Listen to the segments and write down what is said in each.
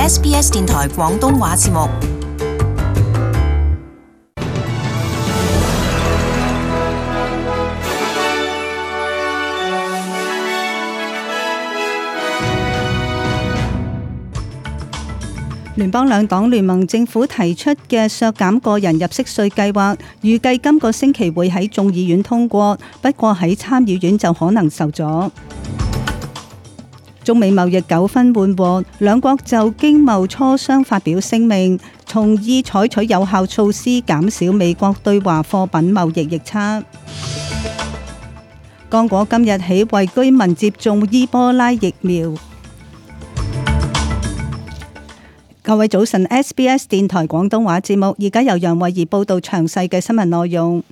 SBS 電台廣東話節目。聯邦兩黨聯盟政府提出嘅削減個人入息稅計劃，預計今個星期會喺眾議院通過，不過喺參議院就可能受阻。中美貿易糾紛緩和，兩國就經貿磋商發表聲明，同意採取有效措施減少美國對華貨品貿易逆差。剛果今日起為居民接種伊波拉疫苗。各位早晨 ，SBS 電台廣東話節目，而家由楊慧儀報道詳細嘅新聞內容。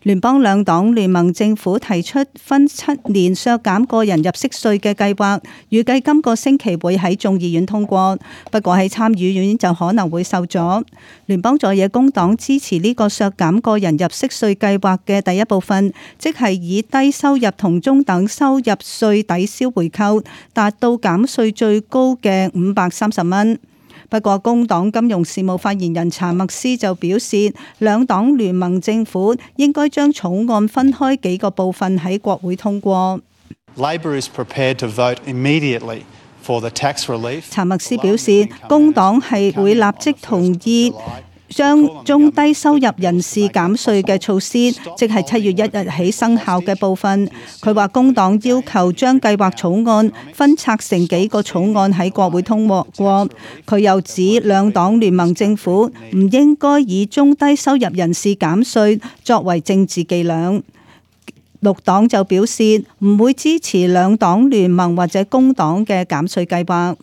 聯邦兩黨聯盟政府提出分7年削減個人入息稅嘅計劃，預計今個星期會喺眾議院通過，不過喺參議院就可能會受阻。聯邦在野工黨支持呢個削減個人入息稅計劃嘅第一部分，即係以低收入同中等收入稅抵消回扣，達到減稅最高嘅530蚊。不過，工黨金融事務發言人查默斯就表示，兩黨聯盟政府應該將草案分開幾個部分喺國會通過。Labor is prepared to vote immediately for the tax relief. 查默斯表示，工黨係會立即同意將中低收入人士減稅嘅措施，即係7月1日起生效嘅部分。佢話工黨要求將計劃草案分拆成幾個草案喺國會通過。佢又指兩黨聯盟政府唔應該以中低收入人士減稅作為政治伎倆。綠黨就表示唔會支持兩黨聯盟或者工黨嘅減稅計劃。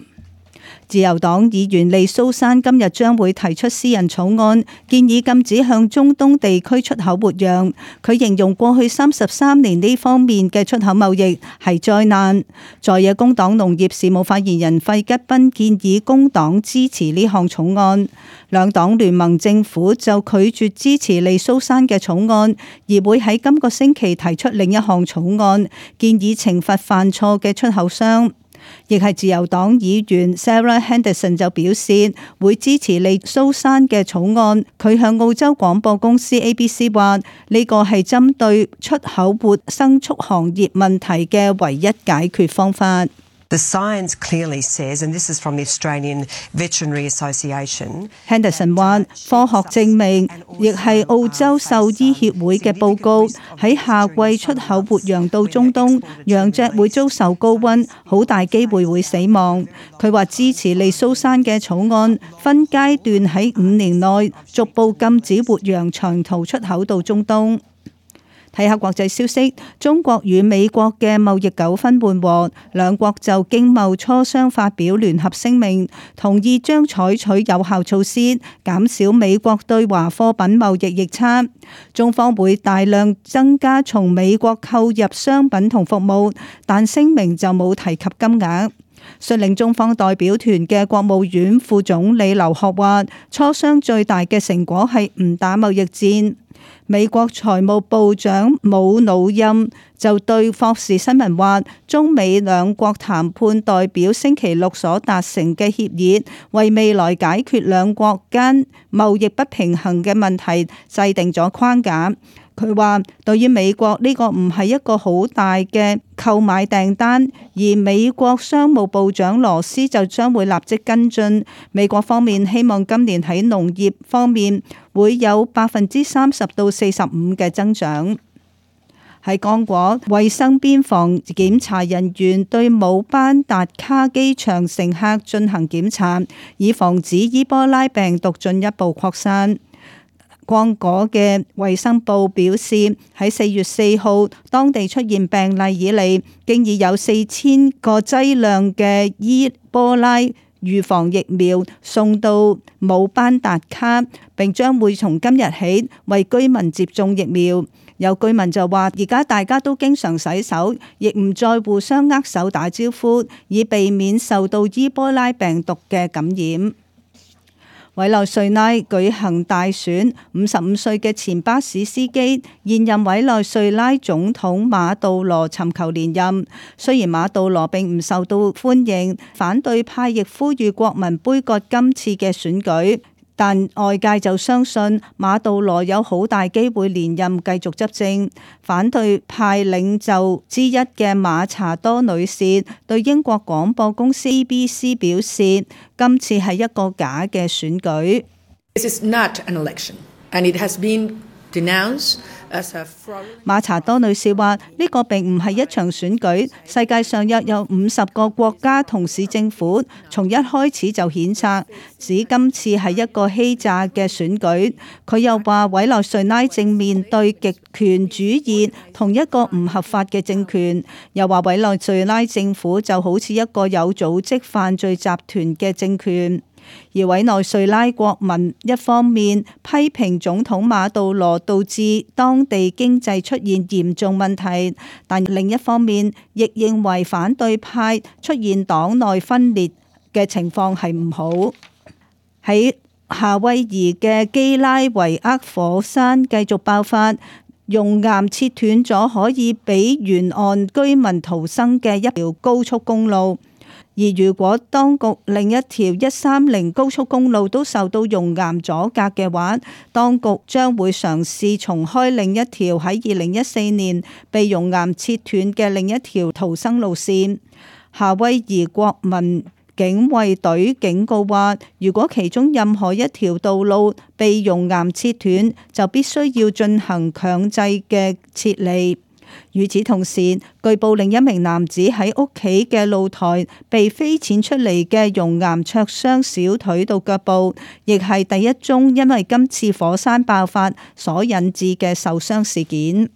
自由黨議員利蘇珊今日將會提出私人草案，建議禁止向中東地區出口活羊。佢形容過去33年呢方面嘅出口貿易係災難。在野工黨農業事務發言人費吉賓建議工黨支持呢項草案，兩黨聯盟政府就拒絕支持利蘇珊嘅草案，而會喺今個星期提出另一項草案，建議懲罰犯錯嘅出口商。亦係自由黨議員 Sarah Henderson 就表示會支持利蘇珊嘅草案。佢向澳洲廣播公司 ABC 話：呢個係針對出口活牲畜行業問題嘅唯一解決方法。The science clearly says, and this is from the Australian Veterinary Association. Henderson 話：科學證明，亦係澳洲獸醫協會嘅報告，喺夏季出口活羊到中東，羊隻會遭受高溫，好大機會會死亡。佢話支持利蘇珊嘅草案，分階段喺5年內逐步禁止活羊長途出口到中東。睇下國際消息，中國與美國嘅貿易糾紛緩和，兩國就經貿磋商發表聯合聲明，同意將採取有效措施，減少美國對華貨品貿易逆差。中方會大量增加從美國購入商品同服務，但聲明就冇提及金額。率領中方代表團嘅國務院副總理劉鶴話，磋商最大嘅成果係唔打貿易戰。美國財務部長姆努欽就對霍士新聞話，中美兩國談判代表星期六所達成嘅協議，為未來解決兩國間貿易不平衡嘅問題制定咗框架。佢話對於美國呢個唔係一個好大嘅購買訂單，而美國商務部長羅斯就將會立即跟進。美國方面希望今年喺農業方面會有30%到45%嘅增長。喺剛果，衛生邊防檢查人員對姆班達卡機場乘客進行檢查，以防止伊波拉病毒進一步擴散。剛果嘅衛生部表示，喺4月4號當地出現病例以嚟，經已有4000個劑量嘅伊波拉預防疫苗送到姆班達卡，並將會從今日起為居民接種疫苗。有居民就話，而家大家都經常洗手，亦唔再互相握手打招呼，以避免受到伊波拉病毒嘅感染。委內瑞拉舉行大選，55歲嘅前巴士司機現任委內瑞拉總統馬杜羅尋求連任。雖然馬杜羅並唔受到歡迎，反對派亦呼籲國民杯葛今次嘅選舉，但外界就相信馬杜羅有好大機會連任繼續執政。反對派領袖之一嘅馬查多女士對英國廣播公司 BBC 表示，今次係一個假嘅選舉。This is not an election, and it has been denounced as a fraud. 馬查多女士話：呢個並唔係一場選舉，世界上約有50個國家同市政府從一開始就譴責，指今次係一個欺詐嘅選舉。佢又話委內瑞拉正面對極權主義同一個唔合法嘅政權，又話委內瑞拉政府就好似一個有組織犯罪集團嘅政權。而委內瑞拉國民一方面批評總統馬杜羅導致當地經濟出現嚴重問題，但另一方面亦認為反對派出現黨內分裂嘅情況係唔好。喺夏威夷嘅基拉維厄火山繼續爆發，熔岩切斷咗可以俾沿岸居民逃生嘅一條高速公路。而如果當局另一條130高速公路都受到熔岩阻隔嘅話，當局將會嘗試重開另一條喺2014年被熔岩切斷嘅另一條逃生路線。夏威夷國民警衛隊警告話，如果其中任何一條道路被熔岩切斷，就必須要進行強制嘅撤離。與此同時，據報另一名男子喺屋企嘅露台被飛濺出嚟嘅熔岩灼傷小腿到腳部，亦係第一宗因為今次火山爆發所引致嘅受傷事件。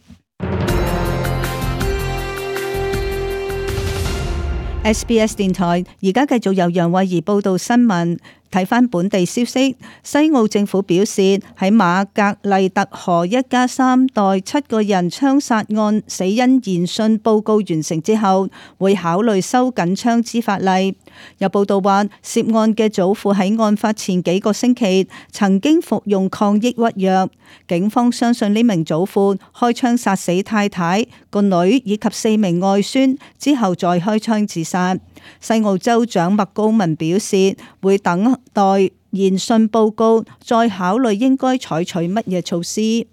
SBS 電台而家繼續由楊慧儀報道新聞。睇返本地消息，西澳政府表示喺馬格麗特河一家3代7個人槍殺案死因研訊報告完成之後，會考慮收緊槍支法例。有報道話，涉案嘅祖父喺案發前幾個星期曾經服用抗抑鬱藥。警方相信呢名祖父開槍殺死太太、個女以及4名外孫之後再開槍自殺。西澳州長麥高文表示，會等待研訊報告，再考慮應該採取乜嘢措施。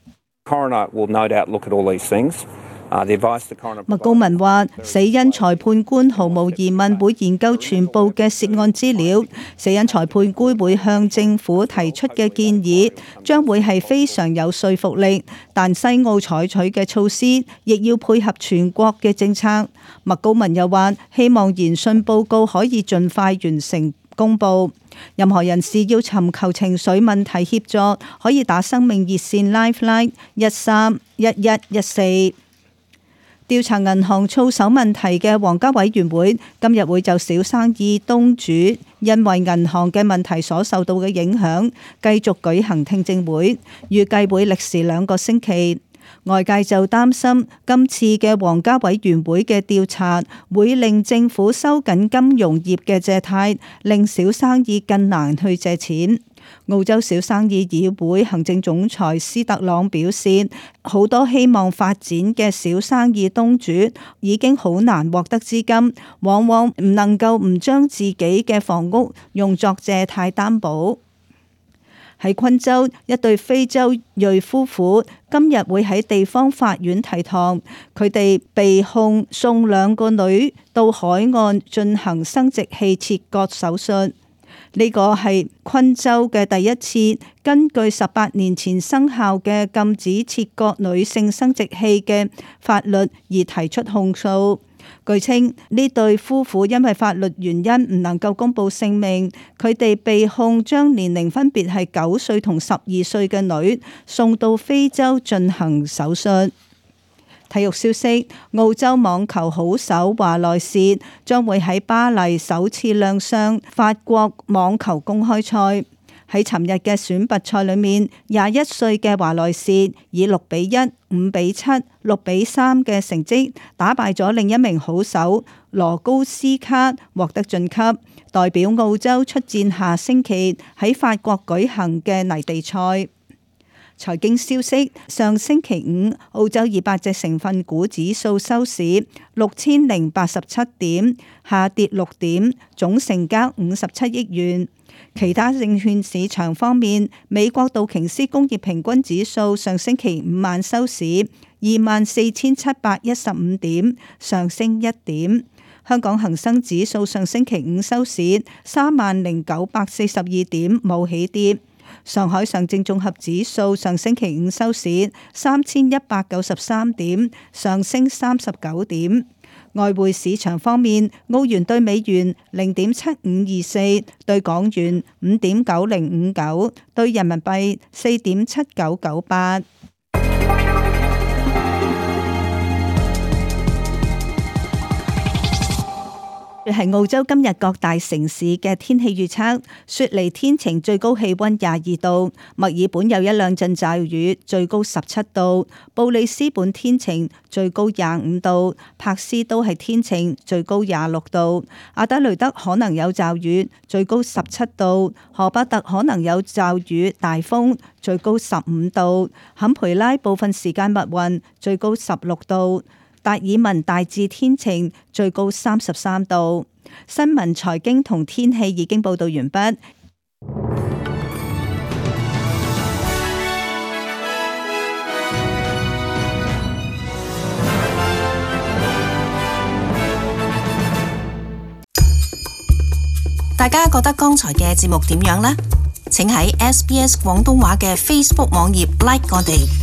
麥高文話：死因裁判官毫無疑問會研究全部嘅涉案資料，死因裁判官會向政府提出嘅建議將會係非常有說服力，但西澳採取嘅措施亦要配合全國嘅政策。麥高文又話：希望研訊報告可以盡快完成公佈。任何人士要尋求情緒問題協助，可以打生命熱線 Lifeline 131114。調查銀行操守問題嘅皇家委員會今日會就小生意東主因為銀行嘅問題所受到嘅影響，繼續舉行聽證會，預計會歷時2個星期。外界就擔心今次嘅皇家委員會嘅調查會令政府收緊金融業嘅借貸，令小生意更難去借錢。澳洲小生意議會行政總裁斯特朗表示，好多希望發展嘅小生意東主已經好難獲得資金，往往唔能夠唔將自己嘅房屋用作借貸擔保。喺昆州，一對非洲裔夫婦今日會喺地方法院提堂，佢哋被控送2個女到海岸進行生殖器切割手術。呢個係昆州嘅第一次根據18年前生效嘅禁止切割女性生殖器嘅法律而提出控訴。據稱，呢對夫婦因為法律原因唔能夠公布姓名，佢哋被控將年齡分別係9歲同12歲嘅女送到非洲進行手術。體育消息，澳洲網球好手華萊士將會喺巴黎首次亮相法國網球公開賽。喺尋日嘅選拔賽裏面，21歲嘅華萊士以6-1、5-7、6-3嘅成績打敗咗另一名好手羅高斯卡，獲得晉級。代表澳洲出戰下星期喺法國舉行嘅泥地賽。財經消息，上星期五，澳洲200隻成分股指數收市6087點，下跌6點，總成交57億元。其他證券市場方面，美國道瓊斯工業平均指數上星期五晚收市24,715點，上升1點。香港恒生指數上星期五收市30,942點，冇起跌。上海上證綜合指數上星期五收市3193點，上升39點。外匯市場方面，澳元對美元0.7524，對港元5.9059，對人民幣4.7998。係澳洲今日各大城市嘅天氣預測：雪梨天晴，最高氣溫22度；墨爾本有一兩陣驟雨，最高17度；布里斯本天晴，最高25度；柏斯都係天晴，最高26度；阿德雷德可能有驟雨，最高17度；荷伯特可能有驟雨大風，最高15度；坎培拉部分時間密雲，最高16度。達爾文大致天晴，最高33度。新聞、財經同天氣已經報道完畢。大家覺得剛才嘅節目點樣呢？請喺SBS 廣東話嘅 Facebook 網頁 like 我哋。